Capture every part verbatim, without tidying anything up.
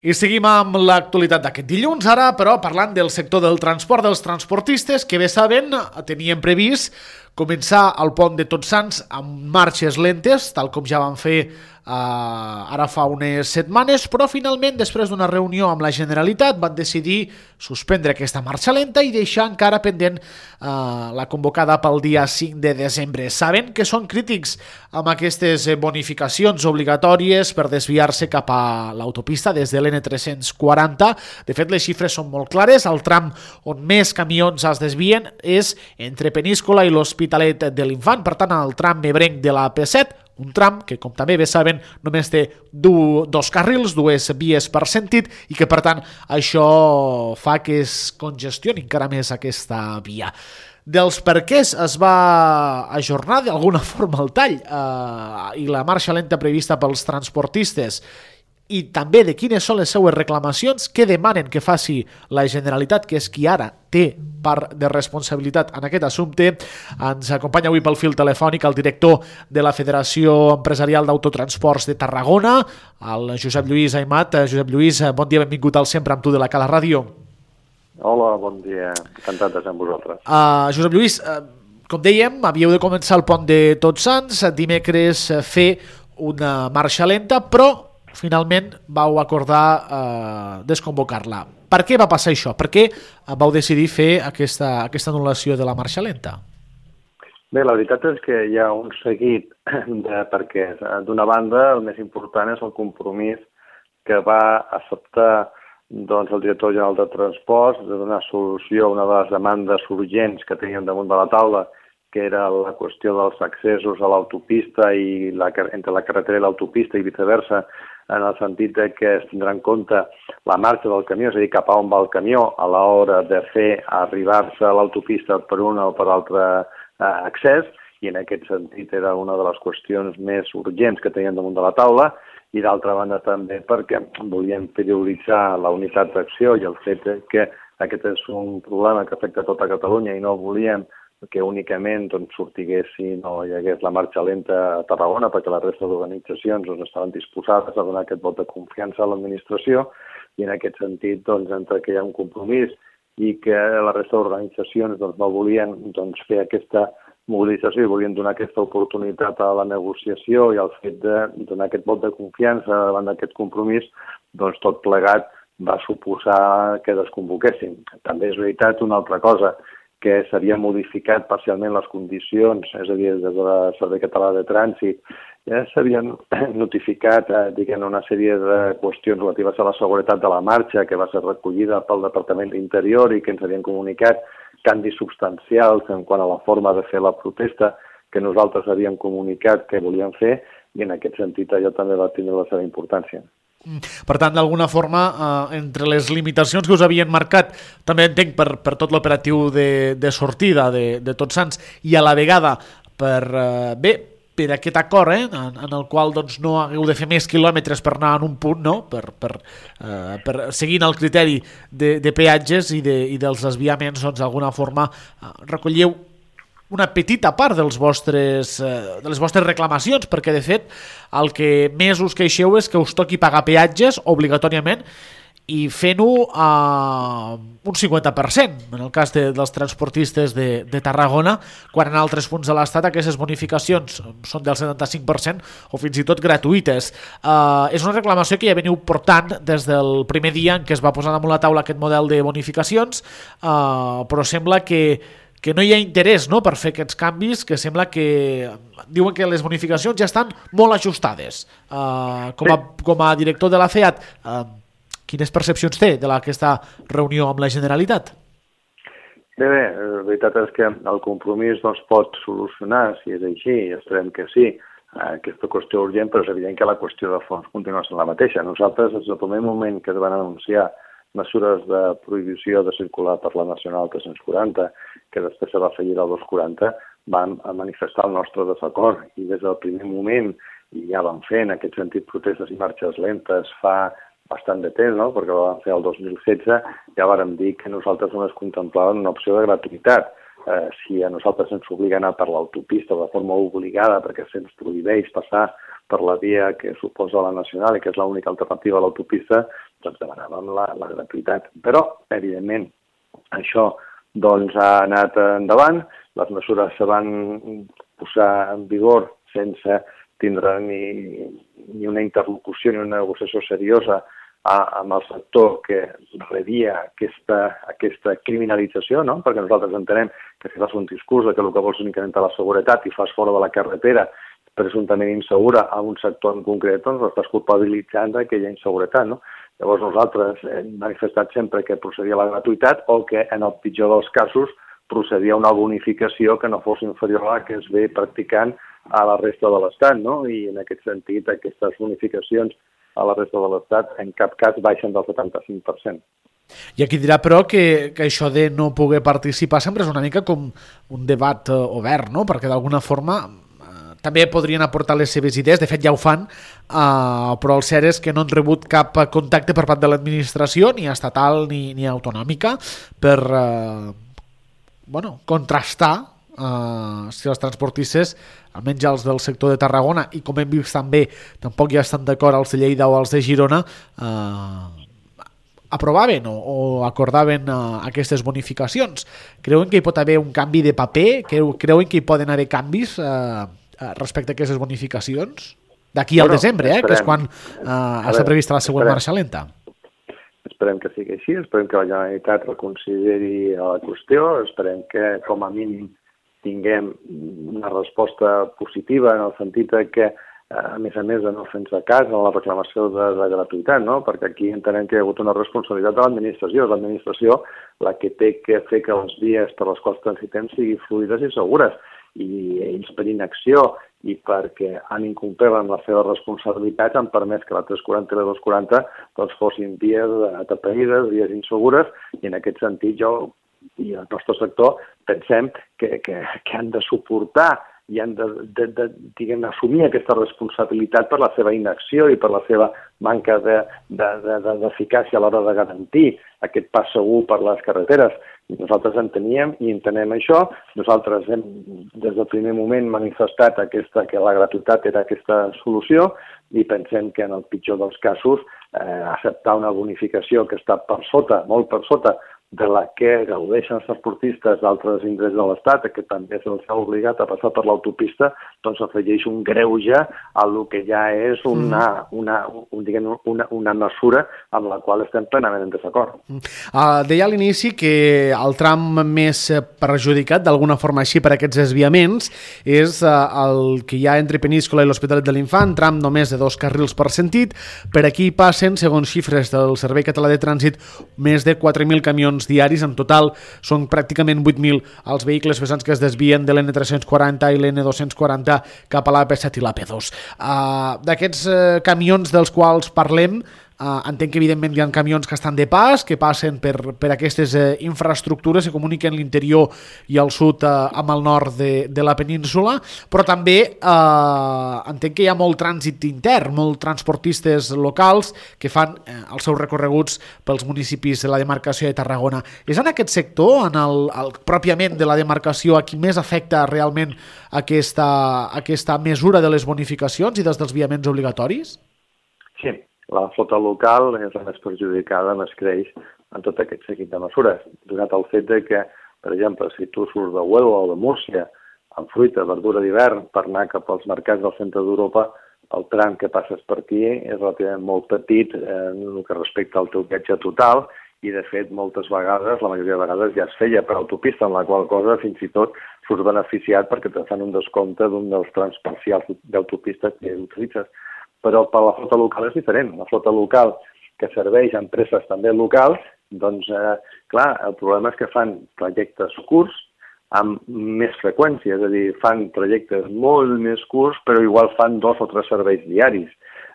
I seguim amb l'actualitat d'aquest dilluns, ara, però parlant del sector del transport dels transportistes, que bé saben, tenien previst començar el pont de Tots Sants amb marxes lentes, tal com ja van fer Uh, ara fa unes setmanes, però finalment, després d'una reunió amb la Generalitat, van decidir suspendre aquesta marxa lenta i deixar encara pendent uh, la convocada pel dia cinc de desembre. Saben que són crítics amb aquestes bonificacions obligatòries per desviar-se cap a l'autopista des de l'N tres-cents quaranta. De fet, les xifres són molt clares. El tram on més camions es desvien és entre Peníscola i l'Hospitalet de l'Infant, per tant, el tram ebrenc de la P set, un tram que, com també bé saben, només té du, dos carrils, dues vies per sentit, i que, per tant, això fa que es congestioni encara més aquesta via. Dels perquès es va ajornar d'alguna forma el tall eh, i la marxa lenta prevista pels transportistes, i també de quines són les seues reclamacions, què demanen que faci la Generalitat, que és qui ara té part de responsabilitat en aquest assumpte. Ens acompanya avui pel fil telefònic el director de la Federació Empresarial d'Autotransports de Tarragona, el Josep Lluís Aimat. Josep Lluís, bon dia, benvingut al Sempre amb tu de la Cala Ràdio. Hola, bon dia, encantat de ser amb vosaltres. Uh, Josep Lluís, uh, com dèiem, havíeu de començar el pont de Tots Sants, dimecres fer una marxa lenta, però finalment vau acordar eh, desconvocar-la. Per què va passar això? Per què vau decidir fer aquesta, aquesta anul·lació de la marxa lenta? Bé, la veritat és que hi ha un seguit de perquès. D'una banda, el més important és el compromís que va acceptar doncs, el director general de Transports de donar solució a una de les demandes urgents que teníem damunt de la taula, que era la qüestió dels accessos a l'autopista i la, entre la carretera i l'autopista i viceversa, en el sentit de que es tindrà en compte la marxa del camió, és a dir, cap a on va el camió a l'hora de fer arribar-se a l'autopista per un o per altre eh, accés, i en aquest sentit era una de les qüestions més urgents que teníem damunt de la taula, i d'altra banda també perquè volíem prioritzar la unitat d'acció i el fet que aquest és un problema que afecta tota Catalunya i no volíem que únicament doncs, sortiguessin o hi hagués la marxa lenta a Tarragona, perquè la resta d'organitzacions doncs, estaven disposades a donar aquest vot de confiança a l'administració, i en aquest sentit, doncs, entre que hi ha un compromís i que la resta d'organitzacions doncs, no volien doncs, fer aquesta mobilització i volien donar aquesta oportunitat a la negociació i al fet de donar aquest vot de confiança davant d'aquest compromís, doncs tot plegat va suposar que desconvoquessin. També és veritat una altra cosa, que s'havien modificat parcialment les condicions, és a dir, des del Servei Català de Trànsit, ja s'havien notificat eh, diguem, una sèrie de qüestions relatives a la seguretat de la marxa que va ser recollida pel Departament d'Interior i que ens havien comunicat canvis substancials en quant a la forma de fer la protesta que nosaltres havíem comunicat que volíem fer, i en aquest sentit allò també va tindre la seva importància. Per tant, d'alguna forma, eh, entre les limitacions que us havien marcat, també entenc per, per tot l'operatiu de, de sortida de, de Tots Sants, i a la vegada per, eh, bé, per aquest acord eh, en, en el qual doncs, no hagueu de fer més quilòmetres per anar en un punt, no? per, per, eh, per seguint el criteri de, de peatges i, de, i dels desviaments, doncs d'alguna forma eh, recolleu una petita part dels vostres, eh, de les vostres reclamacions, perquè de fet el que més us queixeu és que us toqui pagar peatges obligatòriament i fent-ho a un cinquanta per cent, en el cas de, dels transportistes de, de Tarragona, quan en altres punts de l'Estat aquestes bonificacions són del setanta-cinc per cent o fins i tot gratuïtes. Eh, és una reclamació que ja veniu portant des del primer dia en què es va posar damunt la taula aquest model de bonificacions, eh, però sembla que que no hi ha interès no, per fer aquests canvis, que sembla que diuen que les bonificacions ja estan molt ajustades. Uh, com, a, com a director de la FEAT, uh, quines percepcions té de la, aquesta reunió amb la Generalitat? Bé, bé, la veritat és que el compromís no es pot solucionar, si és així, i esperem que sí, aquesta qüestió urgent, però és evident que la qüestió de fons continua sent la mateixa. Nosaltres, des del primer moment que es van anunciar mesures de prohibició de circular per la Nacional tres-cents quaranta, que després se va afegir al dos quaranta, vam manifestar el nostre desacord, i des del primer moment, i ja vam fer en aquest sentit protestes i marxes lentes fa bastant de temps, no? Perquè ho vam fer el dos mil setze, ja vàrem dir que nosaltres només contemplàvem una opció de gratuïtat. Eh, si a nosaltres ens obliga a anar per l'autopista de forma obligada perquè se'ns prohibeix passar per la via que suposa la Nacional i que és l'única alternativa a l'autopista, doncs demanàvem la, la gratuïtat. Però, evidentment, això doncs, ha anat endavant, les mesures se van posar en vigor sense tindre ni, ni una interlocució ni una negociació seriosa a, amb el sector que rebia aquesta, aquesta criminalització, no? Perquè nosaltres entenem que si fas un discurs de que el que vols és incrementar la seguretat i fas fora de la carretera presumptament insegura a un sector en concret, doncs l'estàs culpabilitzant d'aquella inseguretat, no? Llavors nosaltres hem manifestat sempre que procedia a la gratuïtat o que en el pitjor dels casos procedia a una bonificació que no fos inferior a la que es ve practicant a la resta de l'Estat, no? I en aquest sentit aquestes bonificacions a la resta de l'Estat en cap cas baixen del setanta-cinc per cent. I aquí dirà, però, que, que això de no poder participar sempre és una mica com un debat eh, obert, no? Perquè d'alguna forma eh, també podrien aportar les seves idees, de fet ja ho fan, eh, però el cert és que no han rebut cap contacte per part de l'administració, ni estatal ni, ni autonòmica, per eh, bueno, contrastar Uh, si els transportistes, almenys els del sector de Tarragona, i com hem vist també tampoc ja estan d'acord els de Lleida o els de Girona, uh, aprovaven o, o acordaven uh, aquestes bonificacions. Creuen que hi pot haver un canvi de paper? Creu, creuen que hi poden haver canvis uh, respecte a aquestes bonificacions? D'aquí al bueno, desembre, eh, que és quan uh, està prevista la següent marxa lenta. Esperem que sigui així, esperem que la Generalitat reconsideri la qüestió, esperem que com a mínim tinguem una resposta positiva en el sentit que, a més a més de no fer-nos cas en la reclamació de la gratuïtat, no? Perquè aquí entenem que hi ha hagut una responsabilitat de l'administració. És l'administració la que té que fer que les vies per les quals transitem siguin fluides i segures. I ells per inacció i perquè han incomplert amb les seves responsabilitats han permès que la tres quaranta i la dos quaranta doncs, fossin vies atapeïdes, vies insegures, i en aquest sentit jo i el nostre sector pensem que, que, que han de suportar i han de, de, de diguem, assumir aquesta responsabilitat per la seva inacció i per la seva manca d'eficàcia a l'hora de garantir aquest pas segur per les carreteres. Nosaltres enteníem i entenem això. Nosaltres hem, des del primer moment, manifestat aquesta, que la gratuïtat era aquesta solució i pensem que en el pitjor dels casos eh, acceptar una bonificació que està per sota, molt per sota, de la que gaudeixen els transportistes d'altres indrets de l'Estat, que també se'ls ha obligat a passar per l'autopista, doncs afegeix un greuge a lo que ja és una, una, un, diguem, una, una mesura amb la qual estem plenament en desacord. Uh, deia a l'inici que el tram més perjudicat, d'alguna forma així, per aquests desviaments, és uh, el que hi ha entre Peníscola i l'Hospitalet de l'Infant, tram només de dos carrils per sentit. Per aquí passen, segons xifres del Servei Català de Trànsit, més de quatre mil camions diaris. En total són pràcticament vuit mil els vehicles pesants que es desvien de l'N tres-cents quaranta i l'N dos-cents quaranta cap a l'A P set i l'A P dos. Uh, d'aquests uh, camions dels quals parlem, Uh, entenc que evidentment hi ha camions que estan de pas, que passen per, per aquestes uh, infraestructures que comuniquen l'interior i el sud uh, amb el nord de, de la península, però també uh, entenc que hi ha molt trànsit intern, molt transportistes locals que fan uh, els seus recorreguts pels municipis de la demarcació de Tarragona. És en aquest sector, en el, el pròpiament de la demarcació, a qui més afecta realment aquesta, aquesta mesura de les bonificacions i dels desviaments obligatoris? Sí. La flota local és la més perjudicada, més creix en tot aquest seguit de mesures, donat el fet de que, per exemple, si tu surts de Huelva o de Múrcia amb fruita, verdura d'hivern per anar cap als mercats del centre d'Europa, el tram que passes per aquí és relativament molt petit eh, en el que respecta al teu viatge total i, de fet, moltes vegades, la majoria de vegades ja es feia per autopista, en la qual cosa fins i tot surts beneficiat perquè te fan un descompte d'un dels trams parcials d'autopistes que utilitzes. Però per la flota local és diferent. La flota local que serveix a empreses també locals, doncs, eh, clar, el problema és que fan trajectes curts amb més freqüència, és a dir, fan trajectes molt més curts, però igual fan dos o tres serveis diaris.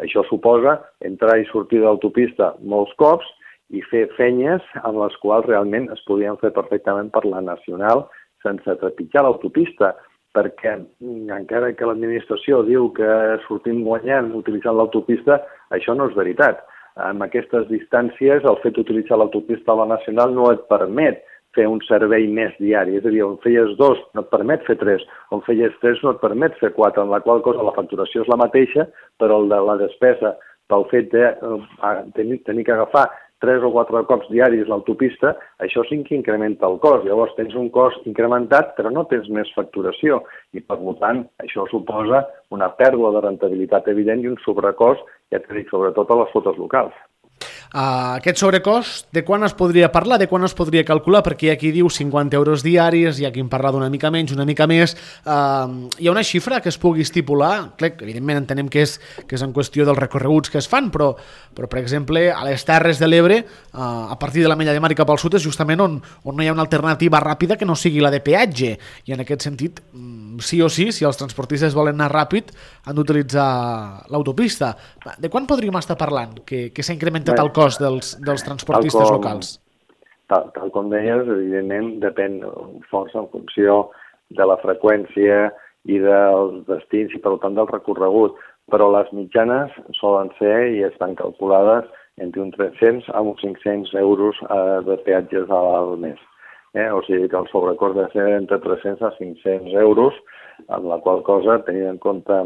Això suposa entrar i sortir de l'autopista molts cops i fer fenyes amb les quals realment es podien fer perfectament per la nacional sense trepitjar l'autopista, perquè encara que l'administració diu que sortim guanyant utilitzant l'autopista, això no és veritat. Amb aquestes distàncies, el fet d'utilitzar l'autopista a la nacional no et permet fer un servei més diari. És a dir, on feies dos no et permet fer tres, on feies tres no et permet fer quatre, en la qual cosa la facturació és la mateixa, però la despesa pel fet de eh, tenir, tenir que agafar tres o quatre cops diaris l'autopista, això sí que incrementa el cost. Llavors tens un cost incrementat, però no tens més facturació. I, per tant, això suposa una pèrdua de rentabilitat evident i un sobrecost, ja t'he dit, sobretot a les flotes locals. Uh, aquest sobrecost, de quan es podria parlar, de quan es podria calcular? Perquè hi ha qui diu cinquanta euros diaris, hi ha qui en parla d'una mica menys, una mica més. Uh, hi ha una xifra que es pugui estipular? Clar, evidentment entenem que és, que és en qüestió dels recorreguts que es fan, però, però per exemple, a les Terres de l'Ebre, uh, a partir de la Mella de Mar i cap al sud, és justament on, on no hi ha una alternativa ràpida que no sigui la de peatge. I en aquest sentit, sí o sí, si els transportistes volen anar ràpid, han d'utilitzar l'autopista. De quan podríem estar parlant que, que s'ha incrementat el cost dels, dels transportistes tal com, locals? Tal, tal com deies, evidentment depèn força en funció de la freqüència i dels destins i per tant del recorregut, però les mitjanes solen ser i estan calculades entre uns tres-cents a uns cinc-cents euros eh, de peatges al mes. Eh? O sigui que el sobrecost de ser entre tres-cents a cinc-cents euros, amb la qual cosa, tenint en compte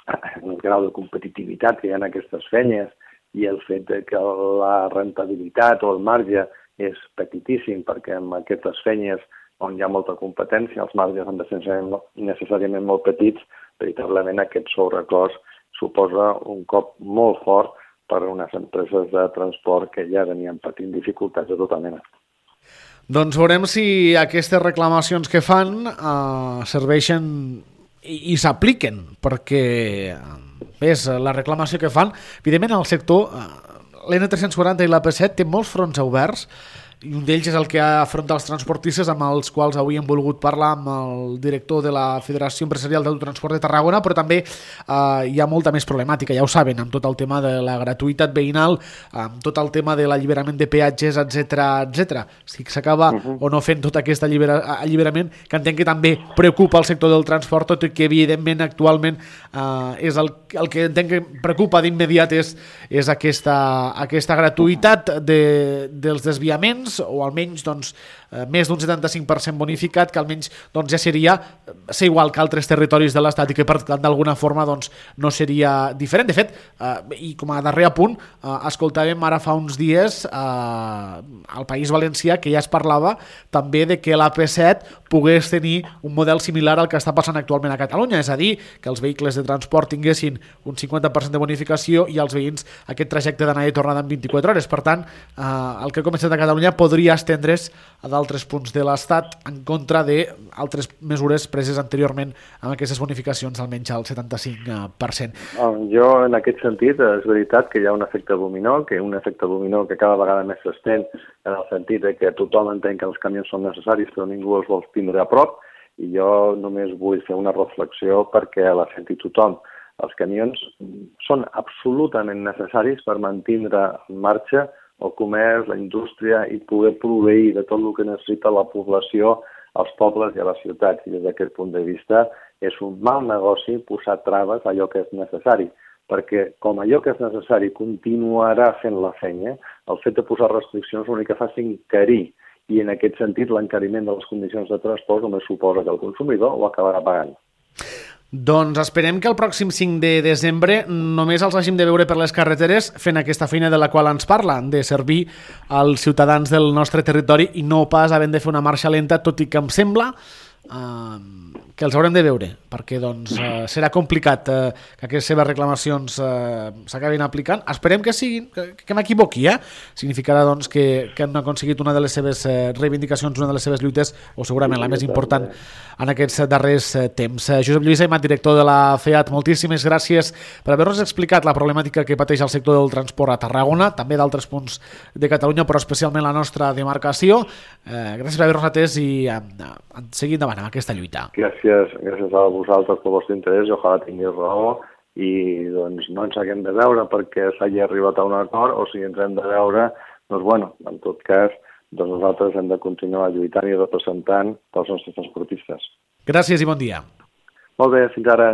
el grau de competitivitat que hi ha en aquestes feines i el fet de que la rentabilitat o el marge és petitíssim, perquè en aquestes feines on hi ha molta competència els marges han de ser necessàriament molt petits, veritablement aquest sobrecost suposa un cop molt fort per a unes empreses de transport que ja venien patint dificultats de tota mena. Doncs veurem si aquestes reclamacions que fan eh, serveixen i, i s'apliquen, perquè és la reclamació que fan. Evidentment, el sector, l'N tres-cents quaranta i l'A P set té molts fronts oberts, i un d'ells és el que afronta els transportistes, amb els quals avui hem volgut parlar amb el director de la Federació Empresarial d'Autotransport de Tarragona, però també eh, hi ha molta més problemàtica, ja ho saben, amb tot el tema de la gratuïtat veïnal, amb tot el tema de l'alliberament de peatges, etcètera, etcètera. Si s'acaba uh-huh. o no fent tot aquest allibera, alliberament, que entenc que també preocupa el sector del transport, tot i que evidentment actualment eh, és el, el que entenc que preocupa d'immediat és, és aquesta, aquesta gratuïtat de, dels desviaments, o almenys doncs, més d'un setanta-cinc per cent bonificat, que almenys doncs, ja seria ser igual que altres territoris de l'Estat i que per tant d'alguna forma doncs, no seria diferent. De fet, eh, i com a darrer apunt, eh, escoltàvem ara fa uns dies eh, al País Valencià que ja es parlava també de que l'A P set pogués tenir un model similar al que està passant actualment a Catalunya, és a dir, que els vehicles de transport tinguessin un cinquanta per cent de bonificació i els veïns aquest trajecte d'anada i tornada en vint-i-quatre hores. Per tant, eh, el que ha començat a Catalunya podria estendre's a d'altres punts de l'Estat en contra d'altres mesures preses anteriorment amb aquestes bonificacions almenys al setanta-cinc per cent. Jo, en aquest sentit, és veritat que hi ha un efecte dominó, que un efecte dominó que cada vegada més s'estén en el sentit de que tothom entén que els camions són necessaris però ningú els vol tindre a prop, i jo només vull fer una reflexió perquè la senti tothom. Els camions són absolutament necessaris per mantindre en marxa el comerç, la indústria i poder proveir de tot el que necessita la població als pobles i a les ciutats. I des d'aquest punt de vista és un mal negoci posar traves a allò que és necessari, perquè com allò que és necessari continuarà fent la feina, el fet de posar restriccions l'únic que fa és encarir, i en aquest sentit l'encariment de les condicions de transport només suposa que el consumidor ho acabarà pagant. Doncs esperem que el pròxim cinc de desembre només els hàgim de veure per les carreteres fent aquesta feina de la qual ens parla, de servir als ciutadans del nostre territori i no pas havent de fer una marxa lenta, tot i que em sembla eh, que els haurem de veure, perquè doncs, eh, serà complicat eh, que aquestes seves reclamacions eh, s'acabin aplicant. Esperem que siguin, que, que m'equivoqui, eh? Significarà doncs, que, que han aconseguit una de les seves eh, reivindicacions, una de les seves lluites, o segurament la més important en aquests darrers eh, temps. Eh, Josep Lluís Aimat, director de la FEAT, moltíssimes gràcies per haver-nos explicat la problemàtica que pateix el sector del transport a Tarragona, també d'altres punts de Catalunya, però especialment la nostra demarcació. Eh, gràcies per haver-nos atès i eh, seguir endavant amb aquesta lluita. Gràcies, gràcies a vosaltres pel vostre interès, i ojalà tinguis raó, i doncs no ens haguem de veure perquè s'hagi arribat a un acord, o si ens hem de veure, doncs bueno, en tot cas, doncs nosaltres hem de continuar lluitant i representant els nostres transportistes. Gràcies i bon dia. Molt bé, fins ara.